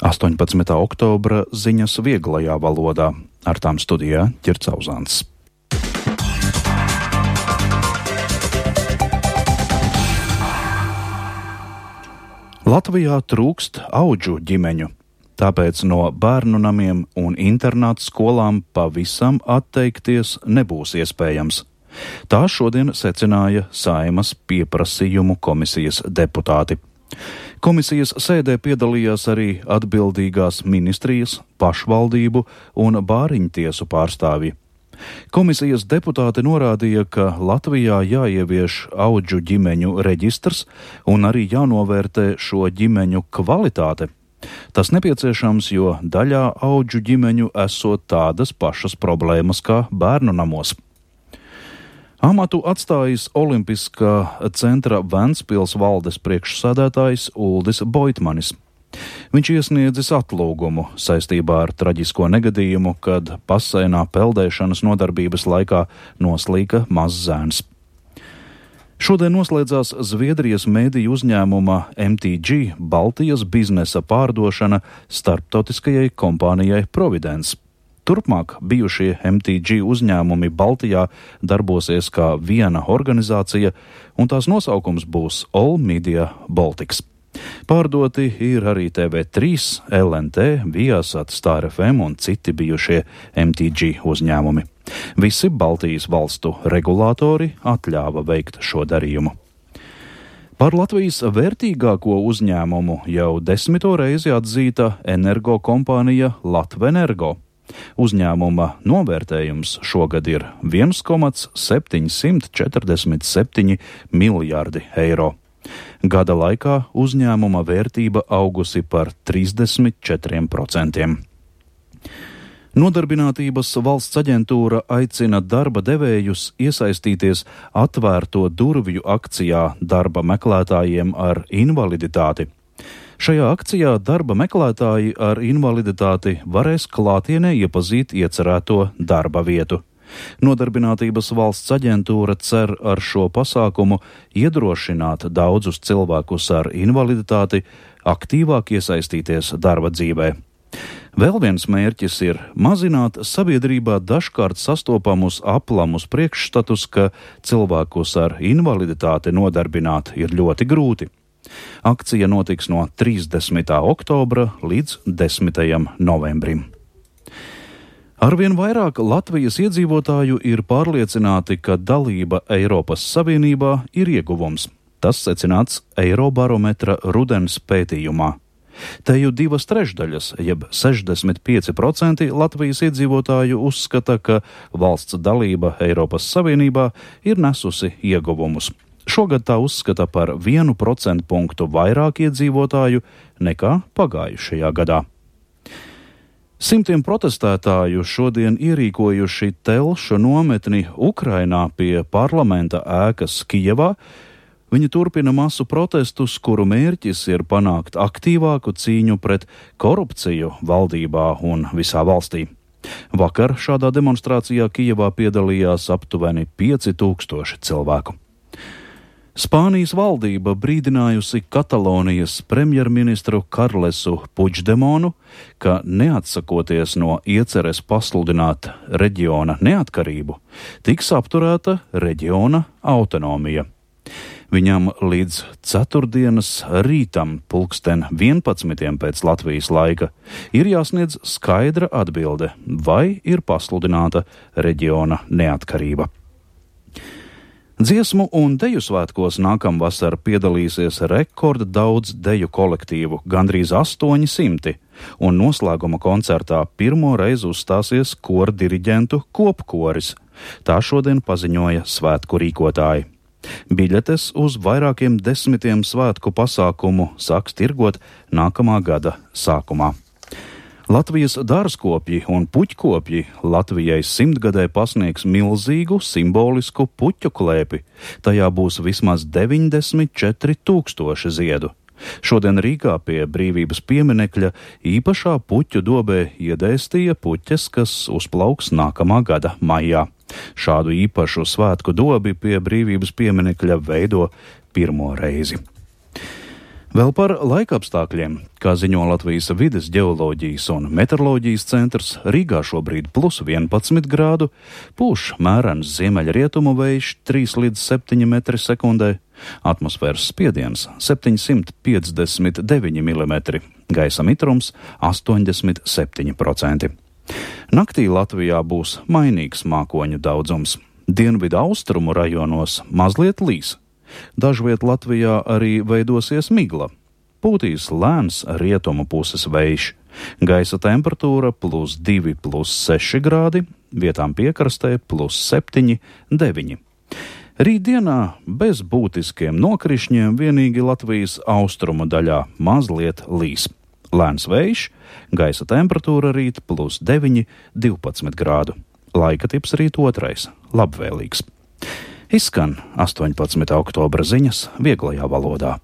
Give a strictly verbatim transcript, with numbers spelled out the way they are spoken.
astoņpadsmitā oktobra ziņas vieglajā valodā. Ar tām studijā Ķircauzāns. Latvijā trūkst audžu ģimeņu, tāpēc no bērnu namiem un internātu skolām pavisam atteikties nebūs iespējams. Tā šodien secināja Saeimas pieprasījumu komisijas deputāti. Komisijas sēdē piedalījās arī atbildīgās ministrijas, pašvaldību un bāriņtiesu pārstāvji. Komisijas deputāti norādīja, ka Latvijā jāievieš audžu ģimeņu reģistrs un arī jānovērtē šo ģimeņu kvalitāte. Tas nepieciešams, jo daļā audžu ģimeņu esot tādas pašas problēmas kā bērnu namos. Amatu atstājis Olimpiskā centra Ventspils valdes priekšsēdētājs Uldis Boitmanis. Viņš iesniedzis atlūgumu saistībā ar traģisko negadījumu, kad baseinā peldēšanas nodarbības laikā noslīka mazs zēns. Šodien noslēdzās Zviedrijas mēdīju uzņēmuma M T G Baltijas biznesa pārdošana starptautiskajai kompānijai Providence. Turpmāk bijušie M T G uzņēmumi Baltijā darbosies kā viena organizācija, un tās nosaukums būs All Media Baltics. Pārdoti ir arī T V trīs, L N T, Viasat, Star F M un citi bijušie M T G uzņēmumi. Visi Baltijas valstu regulātori atļāva veikt šo darījumu. Par Latvijas vērtīgāko uzņēmumu jau desmito reizi atzīta energokompānija Latvenergo. Uzņēmuma novērtējums šogad ir viens komats septiņsimt četrdesmit septiņi miljārdi eiro. Gada laikā uzņēmuma vērtība augusi par trīsdesmit četriem procentiem. Nodarbinātības valsts aģentūra aicina darba devējus iesaistīties atvērto durvju akcijā darba meklētājiem ar invaliditāti. Šajā akcijā darba meklētāji ar invaliditāti varēs klātienē iepazīt iecerēto darba vietu. Nodarbinātības valsts aģentūra cer ar šo pasākumu iedrošināt daudzus cilvēkus ar invaliditāti aktīvāk iesaistīties darba dzīvē. Vēl viens mērķis ir mazināt sabiedrībā dažkārt sastopamus aplamus priekšstatus, ka cilvēkus ar invaliditāti nodarbināt ir ļoti grūti. Akcija notiks no trīsdesmitā oktobra līdz desmitajam novembrim. Arvien vairāk Latvijas iedzīvotāju ir pārliecināti, ka dalība Eiropas Savienībā ir ieguvums. Tas secināts Eirobarometra rudens pētījumā. Te jau divas trešdaļas, jeb sešdesmit pieci procenti Latvijas iedzīvotāju uzskata, ka valsts dalība Eiropas Savienībā ir nesusi ieguvumus. Šogad tā uzskata par vienu procentu punktu vairāk iedzīvotāju nekā pagājušajā gadā. Simtiem protestētāju šodien ierīkojuši telšu nometni Ukrainā pie parlamenta ēkas Kijevā. Viņi turpina masu protestus, kuru mērķis ir panākt aktīvāku cīņu pret korupciju valdībā un visā valstī. Vakar šādā demonstrācijā Kijevā piedalījās aptuveni pieci tūkstoši cilvēku. Spānijas valdība brīdinājusi Katalonijas premjerministru Karlesu Puigdemonu, ka neatsakoties no ieceres pasludināt reģiona neatkarību, tiks apturēta reģiona autonomija. Viņam līdz ceturtdienas rītam pulksten vienpadsmitiem pēc Latvijas laika ir jāsniedz skaidra atbilde, vai ir pasludināta reģiona neatkarība. Dziesmu un deju svētkos nākamvasar piedalīsies rekorda daudz deju kolektīvu, gandrīz astoņi simti, un noslēguma koncertā pirmo reizi uzstāsies kordiriģentu kopkoris. Tā šodien paziņoja svētku rīkotāji. Biļetes uz vairākiem desmitiem svētku pasākumu sāks tirgot nākamā gada sākumā. Latvijas dārzkopji un puķkopji Latvijai simtgadē pasniegs milzīgu simbolisku puķu klēpi. Tajā būs vismaz deviņdesmit četri tūkstoši ziedu. Šodien Rīgā pie Brīvības pieminekļa īpašā puķu dobē iedēstīja puķes, kas uzplauks nākamā gada maijā. Šādu īpašu svētku dobi pie Brīvības pieminekļa veido pirmo reizi. Vēl par laikapstākļiem, kā ziņo Latvijas vides ģeoloģijas un meteoroloģijas centrs, Rīgā šobrīd plus vienpadsmit grādu, pūš mērens ziemeļrietumu vējš trīs līdz septiņi metri sekundē, atmosfēras spiediens septiņsimt piecdesmit deviņi milimetri, gaisa mitrums astoņdesmit septiņi procenti. Naktī Latvijā būs mainīgs mākoņu daudzums. Dienvidu austrumu rajonos mazliet līs. Dažviet Latvijā arī veidosies migla. Pūtīs lēns rietumu puses vējš. Gaisa temperatūra plus divi, plus seši grādi, vietām piekrastē plus septiņi, deviņi. Rītdienā bez būtiskiem nokrišņiem vienīgi Latvijas austrumu daļā mazliet līs. Lēns vējš, gaisa temperatūra rīt plus deviņi, divpadsmit grādu. Laika tips rīt otrais, labvēlīgs. Izskan astoņpadsmitā oktobra ziņas vieglajā valodā.